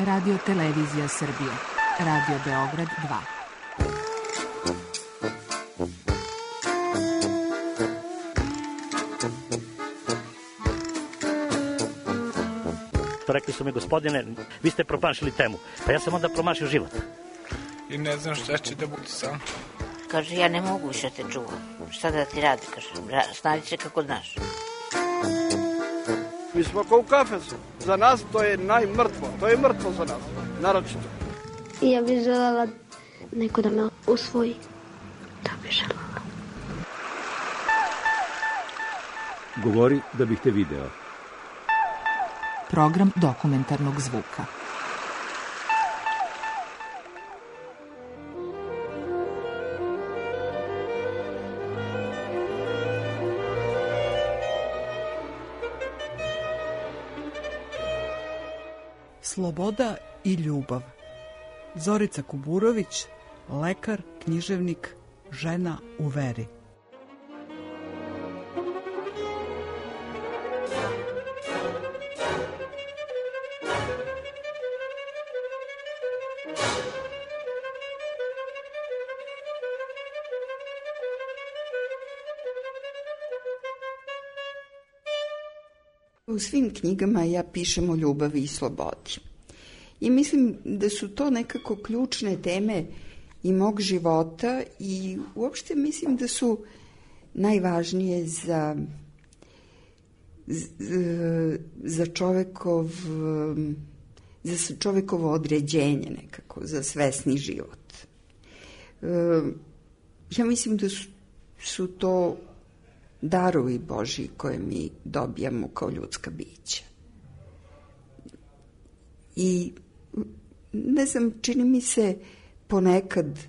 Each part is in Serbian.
Radio Televizija Srbije. Radio Beograd 2. Rekli su mi, gospodine, vi ste promašili temu. Pa ja sam onda promašio život. I ne znam šta će da bude sam. Kaže, ja ne mogu više te čuvam. Šta da ti radi, kaže, snađi se kako znaš. Mi smo kao u kafesu. Za nas to je najmrtvo. To je mrtvo za nas, naročito. Ja bih želela neko da me usvoji. Da bih želela. Govori da bih te video. Program dokumentarnog zvuka. Sloboda i ljubav. Zorica Kuburović, lekar, književnik, žena u veri. U svim knjigama ja pišem o ljubavi i slobodi. I mislim da su to nekako ključne teme i mog života i uopšte mislim da su najvažnije za čovekovo određenje nekako, za svesni život. Ja mislim da su to darovi Božji koje mi dobijamo kao ljudska bića. I ne znam, čini mi se ponekad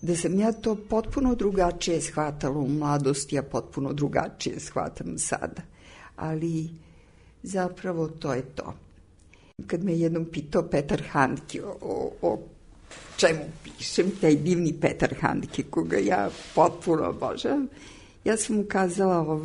da sam ja to potpuno drugačije shvatala u mladosti, a potpuno drugačije shvatam sada. Ali zapravo to je to. Kad me jednom pitao Petar Handke o čemu pišem, taj divni Petar Handke, koga ja potpuno obožavam, ja sam mu kazala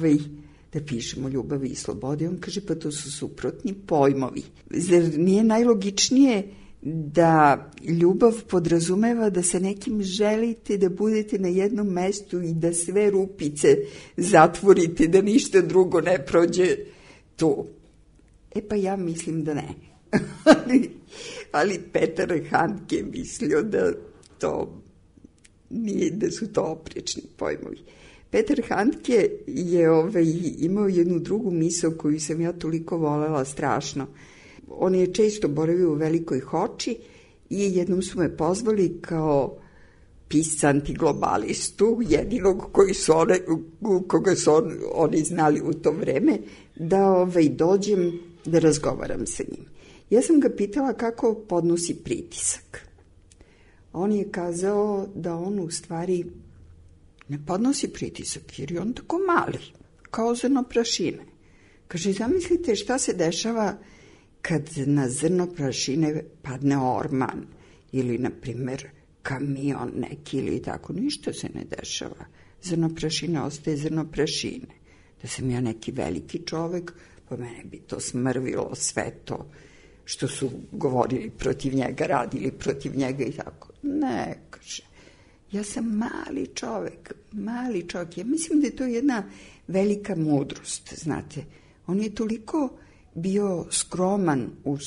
da pišemo o ljubavi i slobodi. On kaže, pa to su suprotni pojmovi. Zar nije najlogičnije da ljubav podrazumeva da sa nekim želite da budete na jednom mestu i da sve rupice zatvorite, da ništa drugo ne prođe tu? Pa ja mislim da ne. Ali Petar Handke mislio da to nije, da su to oprečni pojmovi. Petar Handke je imao jednu drugu misao koju sam ja toliko volela strašno. On je često boravio u Velikoj Hoči i jednom su me pozvali kao pisca antiglobalistu, jedinog koga su oni znali u to vreme, da dođem da razgovaram sa njim. Ja sam ga pitala kako podnosi pritisak. On je kazao da on u stvari ne podnosi pritisak, jer je on tako mali, kao zrno prašine. Kaže, zamislite šta se dešava kad na zrno prašine padne orman ili, na primjer, kamion neki ili tako. Ništa se ne dešava. Zrno prašine ostaje zrno prašine. Da sam ja neki veliki čovek, pa mene bi to smrvilo sve to što su govorili protiv njega, radili protiv njega i tako. Ne, kaže. Ja sam mali čovek. Ja mislim da je to jedna velika mudrost, znate. On je toliko bio skroman u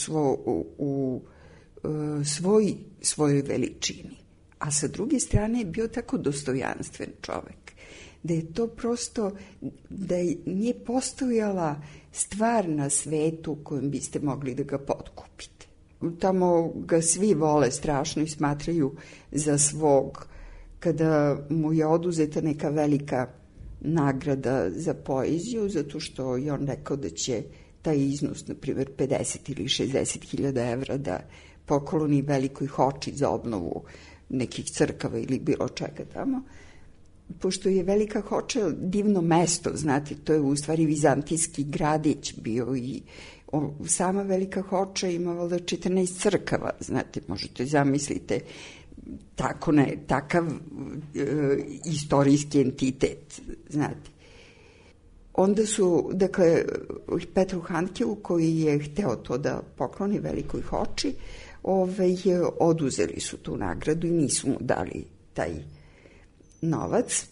svojoj veličini, a sa druge strane je bio tako dostojanstven čovek, da je to prosto, da nije postojala stvar na svetu kojom biste mogli da ga potkupite. Tamo ga svi vole strašno i smatraju za svog. Kada mu je oduzeta neka velika nagrada za poeziju, zato što je on rekao da će taj iznos, na primjer 50 ili 60.000 evra, da pokloni Velikoj Hoči za obnovu nekih crkava ili bilo čega tamo. Pošto je Velika Hoča divno mesto, znate, to je u stvari vizantijski gradić bio i sama Velika Hoča imala 14 crkava, znate, možete zamislite takav istorijski entitet, znate. Onda su, dakle, Petru Handkeu, koji je hteo to da pokloni Velikoj Hoči, oduzeli su tu nagradu i nisu mu dali taj novac.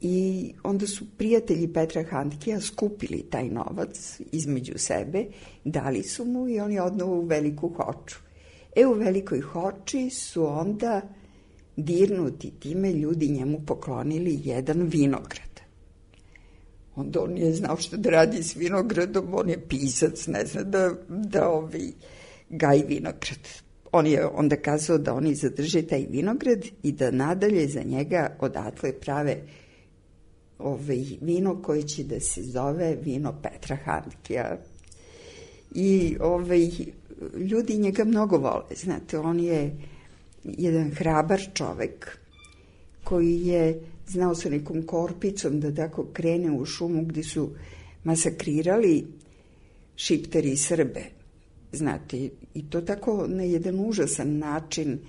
I onda su prijatelji Petra Handkea skupili taj novac između sebe, dali su mu i on je odneo u Veliku Hoču. U Velikoj Hoči su onda dirnuti time ljudi njemu poklonili jedan vinograd. Onda on nije znao što da radi s vinogradom, on je pisac, ne zna da gaji vinograd. On je onda kazao da oni zadrže taj vinograd i da nadalje za njega odatle prave vino koje će da se zove vino Petra Handkea. I ljudi njega mnogo vole, znate, on je jedan hrabar čovek koji je znao sa nekom korpicom da tako krene u šumu gde su masakrirali Šiptari i Srbe, znate, i to tako na jedan užasan način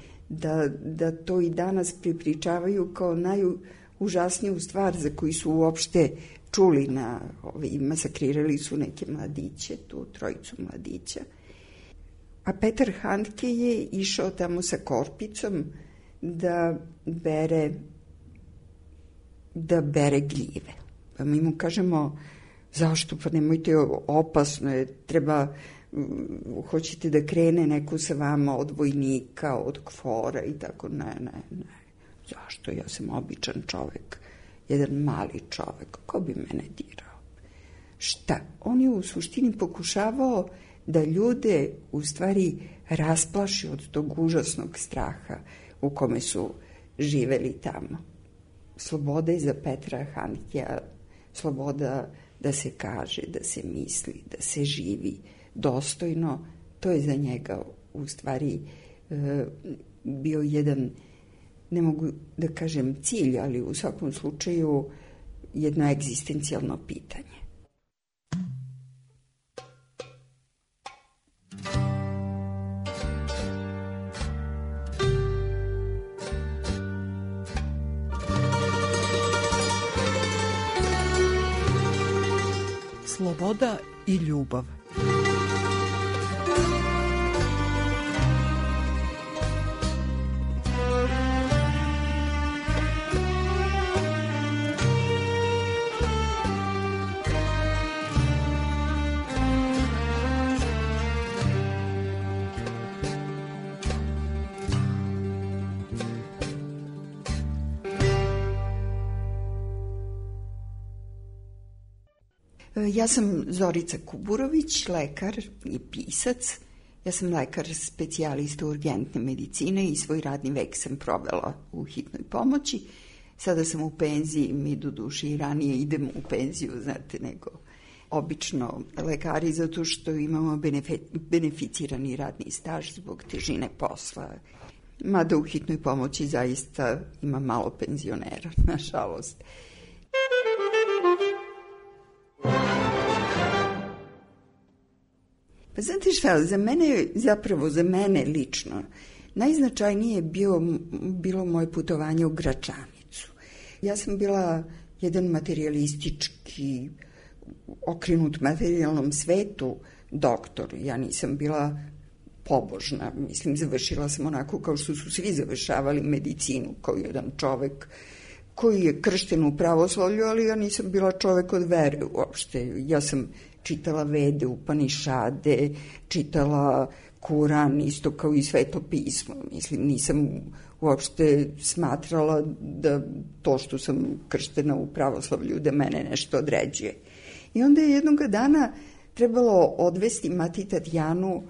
da to i danas pripričavaju kao najužasniju stvar za koju su uopšte čuli. Masakrirali su neke mladiće, tu trojicu mladića. A Petar Handke je išao tamo sa korpicom da bere gljive. Pa mi mu kažemo, zašto? Pa nemojte, opasno je, treba, hoćete da krene neko sa vama od vojnika, od KFOR-a i tako, ne. Zašto? Ja sam običan čovek, jedan mali čovek, ko bi mene dirao? Šta? On je u suštini pokušavao da ljude u stvari rasplaši od tog užasnog straha u kome su živeli tamo. Sloboda je za Petra Handkea sloboda da se kaže, da se misli, da se živi dostojno. To je za njega u stvari bio jedan, ne mogu da kažem cilj, ali u svakom slučaju jedno egzistencijalno pitanje. Sloboda i ljubav. Ja sam Zorica Kuburović, lekar i pisac. Ja sam lekar specijalista urgentne medicine i svoj radni vek sam provela u hitnoj pomoći. Sada sam u penziji, mi do duše i ranije idemo u penziju, znate, nego obično lekari, zato što imamo beneficirani radni staž zbog težine posla. Mada u hitnoj pomoći zaista ima malo penzionera, nažalost. Pa znate šta, za mene lično, najznačajnije je bilo moje putovanje u Gračanicu. Ja sam bila jedan materijalistički, okrenut materijalnom svetu doktor. Ja nisam bila pobožna, mislim, završila sam onako kao što su svi završavali medicinu, kao jedan čovek koji je kršten u pravoslavlju, ali ja nisam bila čovek od vere uopšte. Ja sam čitala Vede, Upanišade, čitala Kuran, isto kao i Sveto pismo. Mislim, nisam uopšte smatrala da to što sam krštena u pravoslavlju da mene nešto određuje. I onda je jednog dana trebalo odvesti Mati Tatjanu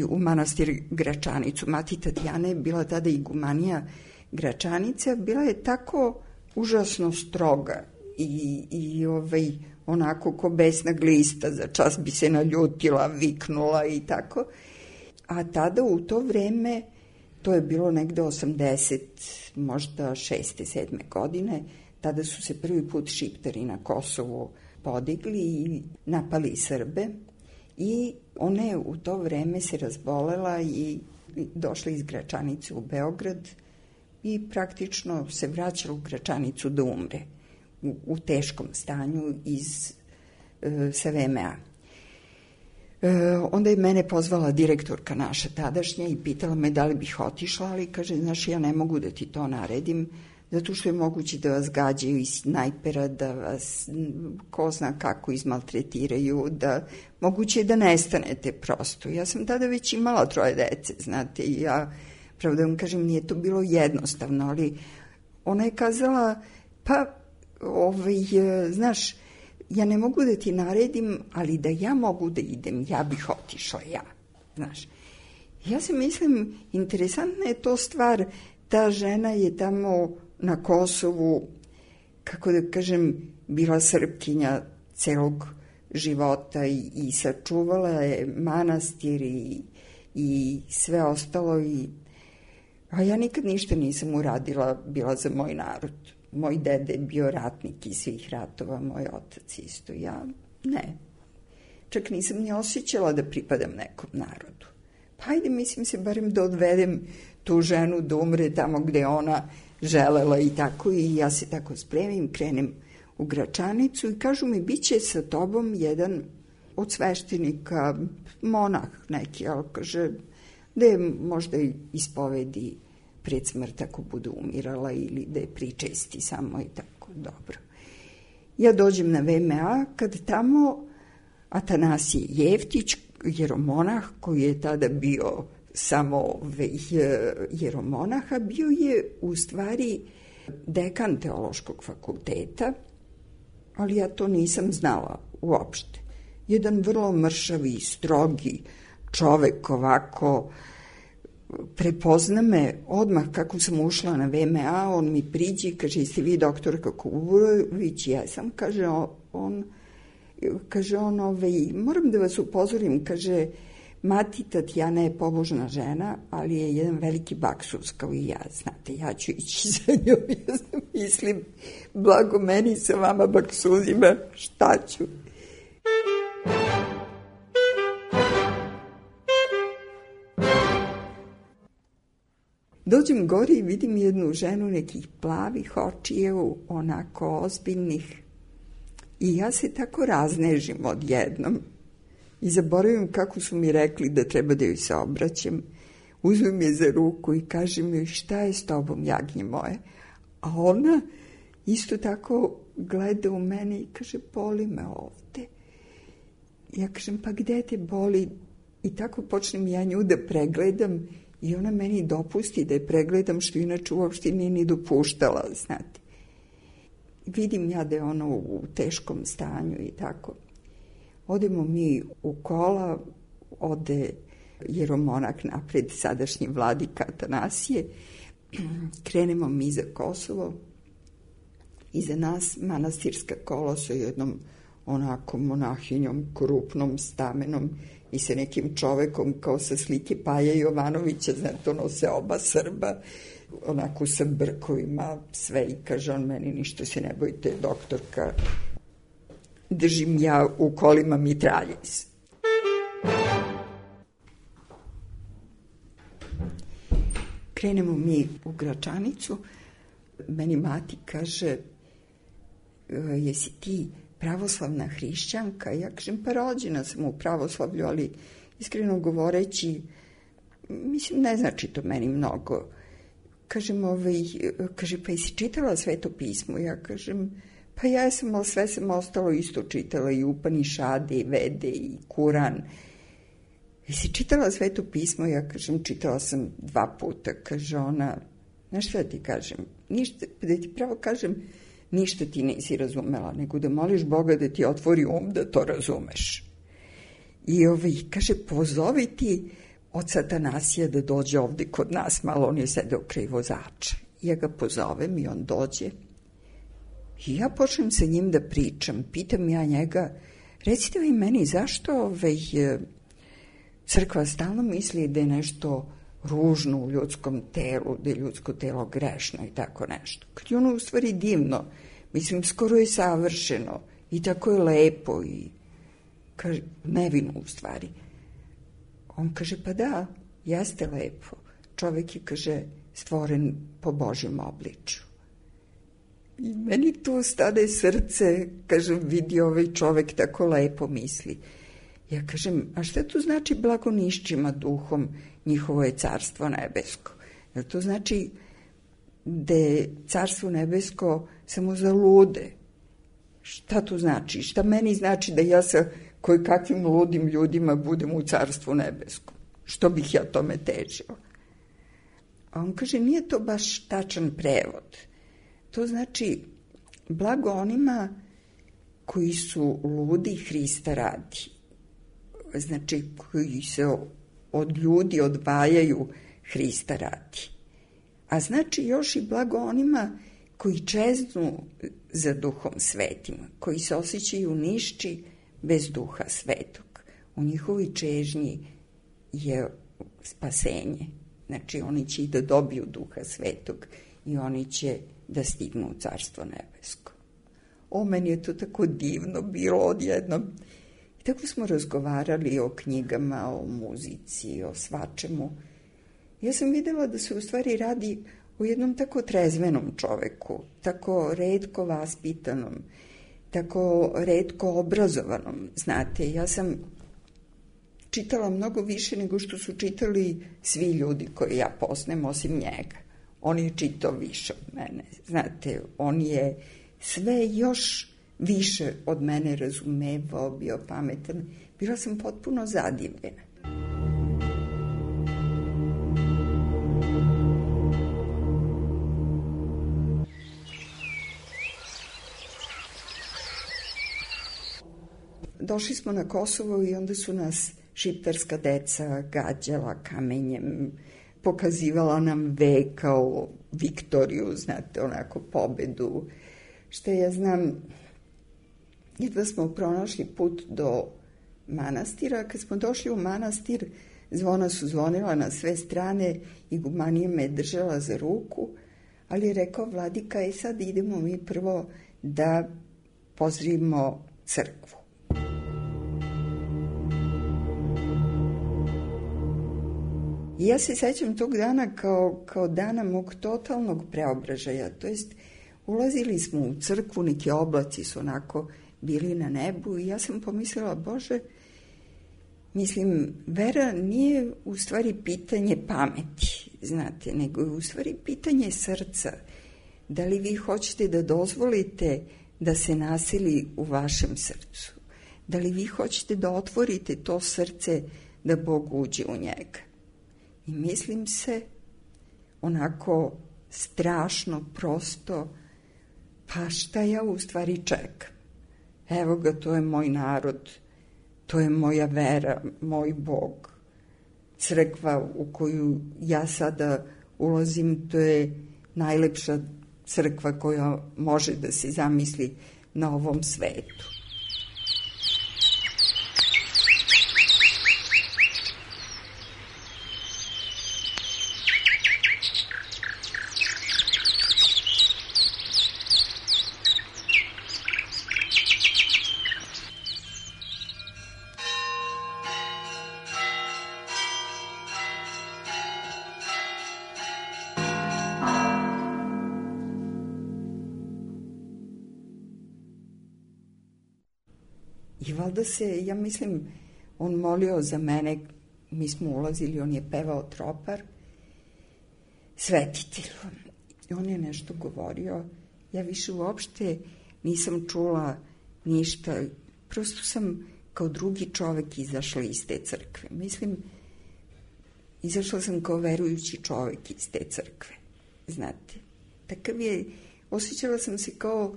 u manastir Gračanicu. Mati Tatjana je bila tada igumanija Gračanica, bila je tako užasno stroga i onako ko besna glista, za čas bi se naljutila, viknula i tako. A tada u to vreme, to je bilo negde 80, možda 6. 7. godine, tada su se prvi put Šiptari na Kosovu podigli i napali Srbe i ona je u to vreme se razbolela i došla iz Gračanice u Beograd i praktično se vraćala u Gračanicu da umre u teškom stanju sa VMA. Onda je mene pozvala direktorka naša tadašnja i pitala me da li bih otišla, ali kaže, znaš, ja ne mogu da ti to naredim, zato što je moguće da vas gađaju iz snajpera, da vas ko zna kako izmaltretiraju, da moguće je da nestanete prosto. Ja sam tada već imala 3 dece, znate, i ja, pravo da vam kažem, nije to bilo jednostavno, ali ona je kazala, pa, znaš, ja ne mogu da ti naredim, ali da ja mogu da idem, ja bih otišla, ja, znaš. Ja se mislim, interesantna je to stvar, ta žena je tamo na Kosovu, kako da kažem, bila Srpkinja celog života i sačuvala je manastir i sve ostalo. A ja nikad ništa nisam uradila, bila za moj narod. Moj dede je bio ratnik iz svih ratova, moj otac isto. Ja ne. Čak nisam ni osjećala da pripadam nekom narodu. Pa ajde, mislim se, barem da odvedem tu ženu da umre tamo gde ona želela i tako. I ja se tako spremim, krenem u Gračanicu i kažu mi, bit će sa tobom jedan od sveštenika, monah neki, ali kaže, da je možda ispovedi pred smrt ako bude umirala ili da je pričesti samo i tako, dobro. Ja dođem na VMA, kad tamo Atanasije Jeftić, jeromonah, koji je tada bio samo jeromonaha, bio je u stvari dekan teološkog fakulteta, ali ja to nisam znala uopšte. Jedan vrlo mršavi, strogi čovek ovako, prepozna me odmah kako sam ušla na VMA, on mi priđi, kaže, jeste vi doktorka Kuburović? Jesam, kaže on, moram da vas upozorim, kaže, mati Tatjana je pobožna žena, ali je jedan veliki baksus kao i ja, znate, ja ću ići za njom, ja mislim, blago meni sa vama baksuzima, šta ću? Dođem gore i vidim jednu ženu nekih plavih očiju, onako ozbiljnih, i ja se tako raznežim odjednom i zaboravim kako su mi rekli da treba da joj se obraćam. Uzmem je za ruku i kažem joj, šta je s tobom, jagnje moje? A ona isto tako gleda u mene i kaže, boli me ovde. Ja kažem, pa gde te boli? I tako počnem ja nju da pregledam i ona meni dopusti da je pregledam, što inače uopšte nije ni dopuštala, znate. Vidim ja da je ona u teškom stanju i tako. Odemo mi u kola, ode jeromonak napred, sadašnji vladika Atanasije, krenemo mi za Kosovo, iza nas manastirska kola sa jednom onako monahinjom, krupnom, stamenom i sa nekim čovekom kao sa slike Paja Jovanovića, znate, ono se oba Srba, onako sa brkovima, sve, i kaže on meni, ništa se ne bojite, doktorka, držim ja u kolima mitraljez. Krenemo mi u Gračanicu, meni mati kaže, jesi ti pravoslavna hrišćanka? Ja kažem, pa rođena sam u pravoslavlju, ali iskreno govoreći, mislim, ne znači to meni mnogo. Kažem, kaže, pa jesi čitala Sveto pismo? Ja kažem, pa ja sam, ali sve sam ostalo isto čitala, i Upanišade, i Vede, i Kuran. Jesi čitala Sveto pismo? Ja kažem, čitala sam 2 puta. Kaže ona, znaš šta ti kažem? Ništa, da ti pravo kažem, ništa ti nisi razumela, nego da moliš Boga da ti otvori da to razumeš. I kaže, pozovi ti od Atanasija da dođe ovde kod nas, malo on je sedeo kraj vozača. Ja ga pozovem i on dođe. I ja počnem sa njim da pričam, pitam ja njega, recite vi meni, zašto crkva stalno misli da je nešto ružno u ljudskom telu, da je ljudsko telo grešno i tako nešto. Kad je ono u stvari divno, mislim, skoro je savršeno i tako je lepo i kaže, nevino u stvari. On kaže, pa da, jeste lepo. Čovek je, kaže, stvoren po Božjem obličju. I meni tu stade srce, kažem, vidi ovaj čovek tako lepo misli. Ja kažem, a šta to znači blagonišćima duhom, njihovo je carstvo nebesko? Jer to znači da je carstvo nebesko samo za lude. Šta to znači? Šta meni znači da ja sa kakvim ludim ljudima budem u carstvu nebeskom? Što bih ja tome težila? A on kaže, nije to baš tačan prevod. To znači, blago onima koji su ludi Hrista radi. Znači, koji se od ljudi odvajaju Hrista radi. A znači još i blago onima koji čeznu za duhom svetim, koji se osjećaju nišći bez duha svetog. U njihovoj čežnji je spasenje. Znači, oni će i da dobiju duha svetog i oni će da stignu u carstvo nebesko. Meni je to tako divno bilo odjednom. I tako smo razgovarali o knjigama, o muzici, o svačemu. Ja sam videla da se u stvari radi o jednom tako trezvenom čoveku, tako retko vaspitanom, tako retko obrazovanom. Znate, ja sam čitala mnogo više nego što su čitali svi ljudi koje ja poznajem, osim njega. On je čitao više od mene. Znate, on je sve još više od mene razumevao, bio pametan. Bila sam potpuno zadivljena. Došli smo na Kosovo i onda su nas šiptarska deca gađala kamenjem, pokazivala nam V kao Viktoriju, znate, onako pobedu. Što ja znam, jedva smo pronašli put do manastira. Kad smo došli u manastir, zvona su zvonila na sve strane i gumanija me držala za ruku, ali je rekao vladika, sad idemo mi prvo da pozdravimo crkvu. I ja se sećam tog dana kao dana mog totalnog preobražaja, to jest ulazili smo u crkvu, neki oblaci su onako bili na nebu i ja sam pomislila, Bože, mislim, vera nije u stvari pitanje pameti, znate, nego je u stvari pitanje srca. Da li vi hoćete da dozvolite da se naseli u vašem srcu? Da li vi hoćete da otvorite to srce da Bog uđe u njega? I mislim se onako strašno, prosto, pa šta ja u stvari čekam? Evo ga, to je moj narod, to je moja vera, moj Bog. Crkva u koju ja sada ulazim, to je najlepša crkva koja može da se zamisli na ovom svetu. I valjda se, ja mislim, on molio za mene, mi smo ulazili, on je pevao tropar, svetitelju. I on je nešto govorio, ja više uopšte nisam čula ništa, prosto sam kao drugi čovek izašla iz te crkve. Mislim, izašla sam kao verujući čovek iz te crkve, znate. Takav je, osjećala sam se kao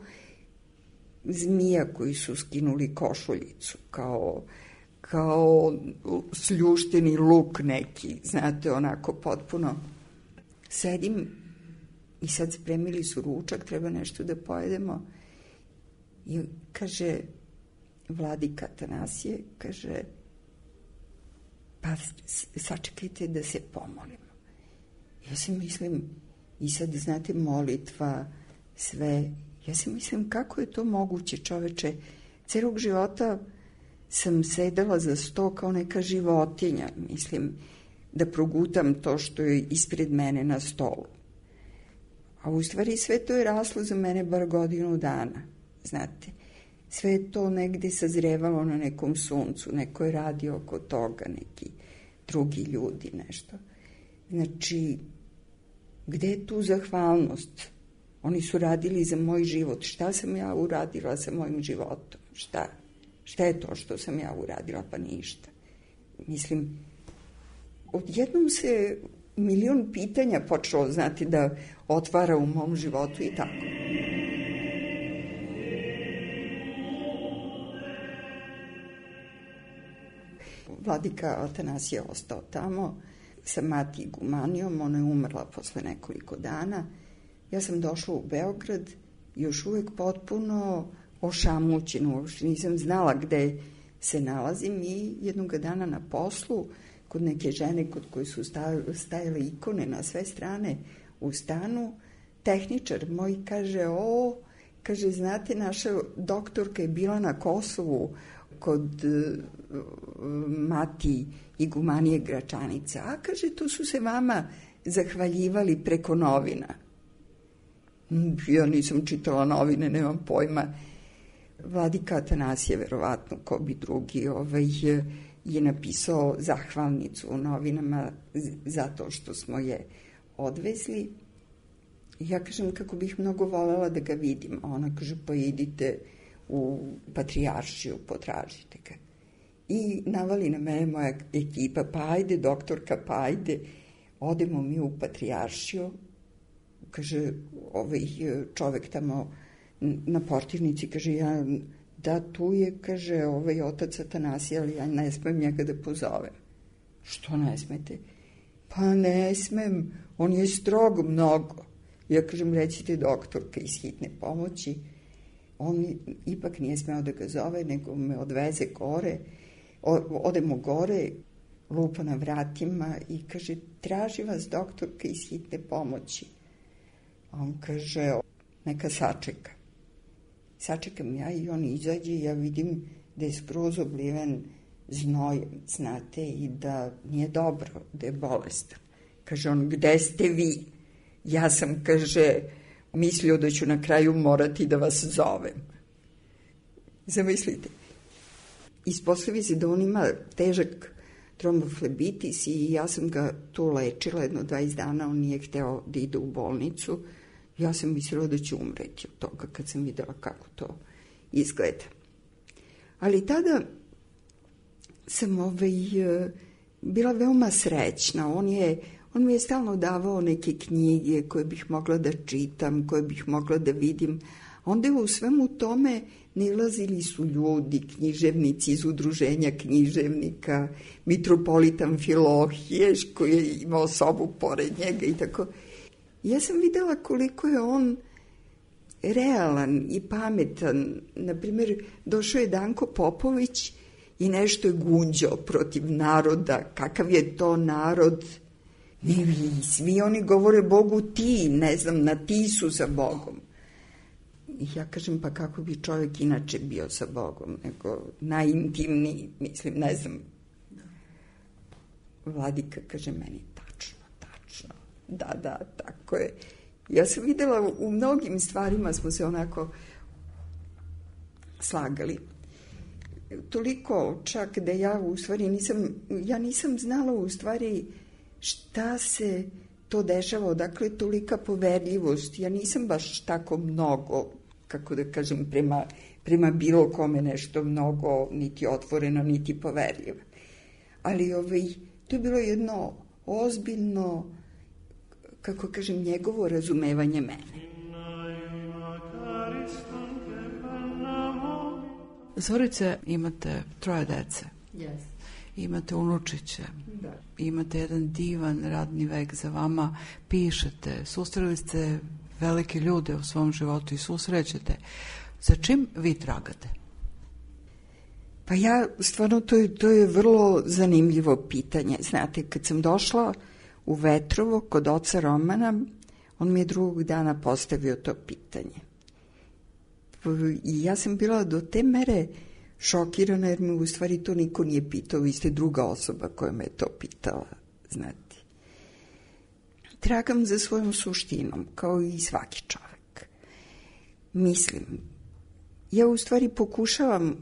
zmija koji su skinuli košuljicu, kao sljušteni luk neki, znate, onako potpuno. Sedim i sad spremili su ručak, treba nešto da pojedemo. I kaže, vladika Atanasije, kaže, pa sačekajte da se pomolimo. Ja se mislim, i sad, znate, molitva, sve. Ja se mislim, kako je to moguće, čoveče? Celog života sam sedela za sto kao neka životinja, mislim, da progutam to što je ispred mene na stolu. A u stvari sve to je raslo za mene bar godinu dana, znate. sve je to negde sazrevalo na nekom suncu, neko je radio oko toga, neki drugi ljudi, nešto. Znači, gde je tu zahvalnost? Oni su radili za moj život. Šta sam ja uradila sa mojim životom? Šta je to što sam ja uradila? Pa ništa. Mislim, odjednom se milion pitanja počelo, znati, da otvara u mom životu i tako. Vladika Atanasije je ostao tamo sa mati igumanijom, ona je umrla posle nekoliko dana. Ja sam došla u Beograd, još uvek potpuno ošamućena, uopšte nisam znala gde se nalazim i jednog dana na poslu, kod neke žene kod koje su stajale ikone na sve strane u stanu, tehničar moj kaže, znate, naša doktorka je bila na Kosovu kod mati igumanije Gračanice, a kaže, to su se vama zahvaljivali preko novina. Ja nisam čitala novine, nemam pojma. Vladika Atanasije, verovatno, ko bi drugi, je napisao zahvalnicu u novinama zato što smo je odvezli. Ja kažem kako bih mnogo voljela da ga vidim, a ona kaže pa idite u Patrijaršiju, potražite ga. I navali na mene moja ekipa, pa ajde doktorka, pa ajde, odemo mi u Patrijaršiju. Kaže, čovek tamo na portirnici, kaže, da tu je, kaže, otac Atanasije, ali ja ne smem njega da pozovem. Što ne smete? Pa ne smem, on je strog mnogo. Ja kažem, recite doktorka iz hitne pomoći. On ipak nije smeo da ga zove, nego me odveze gore. Odemo gore, lupa na vratima i kaže, traži vas doktorka iz hitne pomoći. On kaže, neka sačeka. Sačekam ja i on izađe i ja vidim da je skroz obliven znojem, znate, i da nije dobro, da je bolestan. Kaže on, gde ste vi? Ja sam, kaže, mislio da ću na kraju morati da vas zovem. Zamislite. Ispostavi se da on ima težak tromboflebitis i ja sam ga tu lečila jedno 20 dana, on nije hteo da ide u bolnicu. Ja sam mislila da će umreti od toga kad sam videla kako to izgleda. Ali tada sam bila veoma srećna. On mi je stalno davao neke knjige koje bih mogla da čitam, koje bih mogla da vidim. Onda je u svemu tome nilazili su ljudi, književnici iz udruženja književnika, mitropolita Amfilohije koji je imao sobu pored njega i tako. Ja sam videla koliko je on realan i pametan. Naprimjer, došao je Danko Popović i nešto je gunđao protiv naroda. Kakav je to narod? Svi oni govore Bogu ti, ne znam, na ti su sa Bogom. I ja kažem, pa kako bi čovjek inače bio sa Bogom, nego najintimniji, mislim, ne znam. Vladika kaže meni, tačno. Da, tako je. Ja sam videla u mnogim stvarima smo se onako slagali. Toliko čak da ja u stvari nisam znala u stvari šta se to dešava, odakle tolika poverljivost. Ja nisam baš tako mnogo, kako da kažem, prema bilo kome nešto mnogo, niti otvoreno, niti poverljivo. Ali to je bilo jedno ozbiljno, kako kažem, njegovo razumevanje mene. Zorice, imate 3 dece. Yes. Imate unučiće. Da. Imate jedan divan radni vek za vama. Pišete, susreli ste velike ljude u svom životu i susrećete. Za čim vi tragate? Pa ja, stvarno, to je vrlo zanimljivo pitanje. Znate, kad sam došla u Vetrovo kod oca Romana, on mi je drugog dana postavio to pitanje. I ja sam bila do te mere šokirana, jer me u stvari to niko nije pitao, vi ste druga osoba koja me to pitala, znate. Tragam za svojom suštinom, kao i svaki čovek. Mislim, ja u stvari pokušavam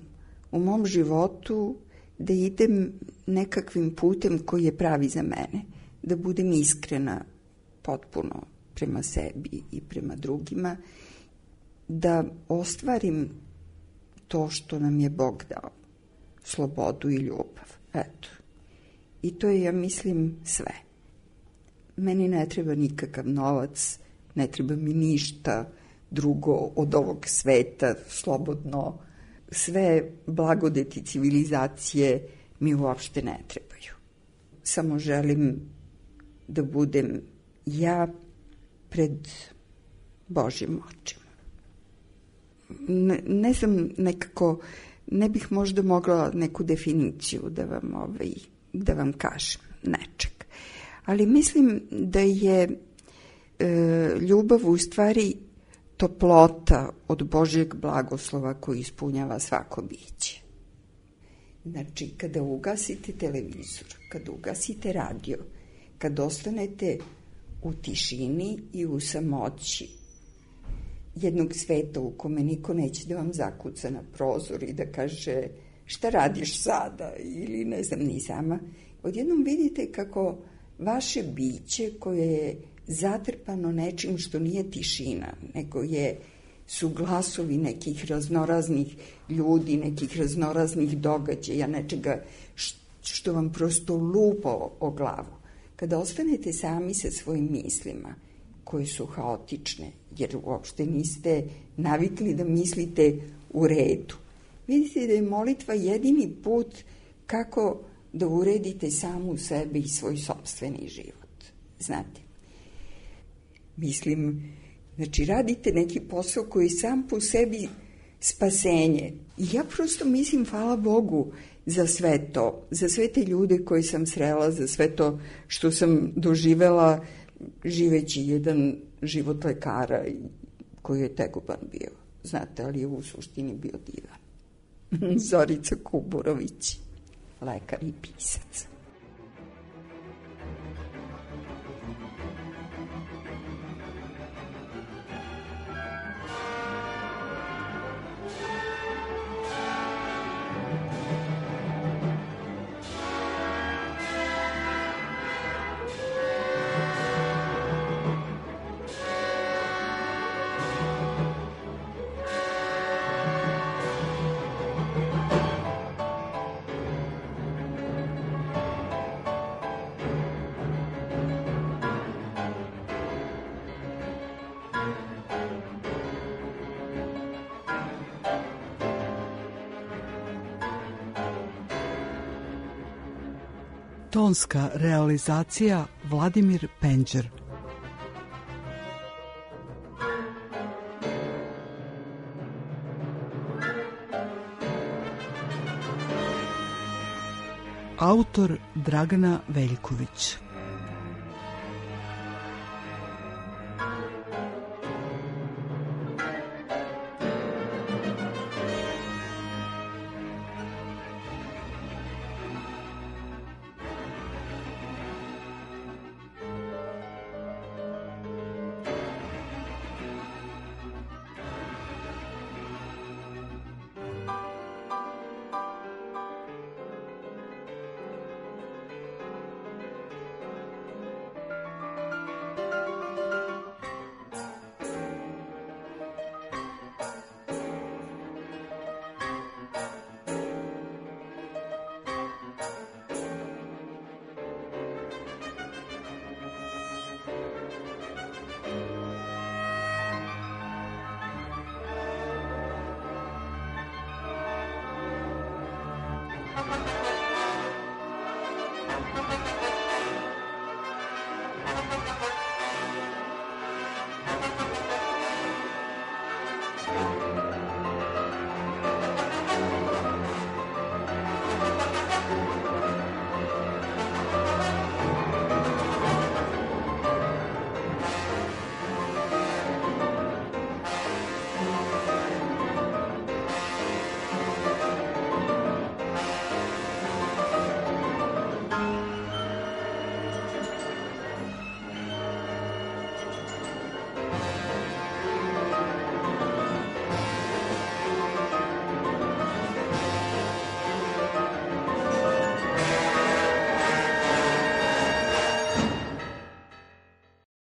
u mom životu da idem nekakvim putem koji je pravi za mene, da budem iskrena potpuno prema sebi i prema drugima, da ostvarim to što nam je Bog dao, slobodu i ljubav. Eto. I to je, ja mislim, sve. Meni ne treba nikakav novac, ne treba mi ništa drugo od ovog sveta, slobodno. Sve blagodeti civilizacije mi uopšte ne trebaju. Samo želim da budem ja pred Božjim očima. Ne znam, nekako, ne bih možda mogla neku definiciju da vam kažem nečeg. Ali mislim da je ljubav u stvari toplota od Božjeg blagoslova koji ispunjava svako biće. Znači, kada ugasite televizor, kada ugasite radio, kad ostanete u tišini i u samoći jednog sveta u kome niko neće da vam zakuca na prozor i da kaže šta radiš sada ili ne znam ni sama, odjednom vidite kako vaše biće koje je zatrpano nečim što nije tišina, nego su glasovi nekih raznoraznih ljudi, nekih raznoraznih događaja, nečega što vam prosto lupa o glavu. Kada ostanete sami sa svojim mislima, koje su haotične, jer uopšte niste navikli da mislite u redu, vidite da je molitva jedini put kako da uredite samu sebe i svoj sopstveni život. Znate, mislim, znači radite neki posao koji je sam po sebi spasenje. I ja prosto mislim, hvala Bogu za sve to, za sve te ljude koje sam srela, za sve to što sam doživela živeći jedan život lekara koji je tegoban bio. Znate, ali je u suštini bio divan. Zorica Kuburović, lekar i pisac. Tonska realizacija Vladimir Penđer. Autor Dragana Veljković.